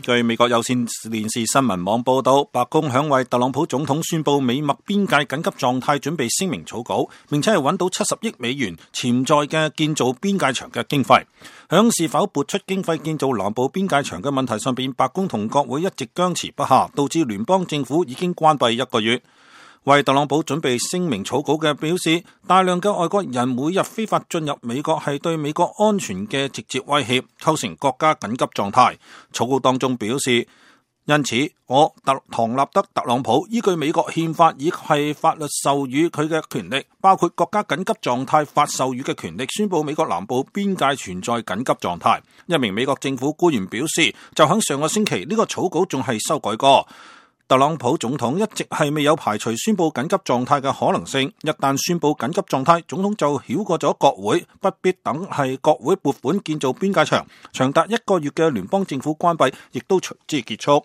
據美國有線電視新聞網報道，白宮響為特朗普總統宣布美墨邊界緊急狀態準備聲明草稿，並且係揾到70億美元潛在嘅建造邊界牆嘅經費。響是否撥出經費建造南部邊界牆嘅問題上邊，白宮同國會一直僵持不下，導致聯邦政府已經關閉1個月。為特朗普準備聲明草稿嘅表示，大量嘅外國人每日非法進入美國係對美國安全嘅直接威脅，構成國家緊急狀態。草稿當中表示，因此我唐納德特朗普依據美國憲法以係法律授予佢嘅權力，包括國家緊急狀態法授予嘅權力，宣布美國南部邊界存在緊急狀態。一名美國政府官員表示，就喺上個星期呢個草稿仲係修改過。特朗普總統一直係未有排除宣布緊急狀態嘅可能性，一旦宣布緊急狀態，總統就繞過咗國會，不必等係國會撥款建造邊界牆，長達1個月嘅聯邦政府關閉亦都隨之結束。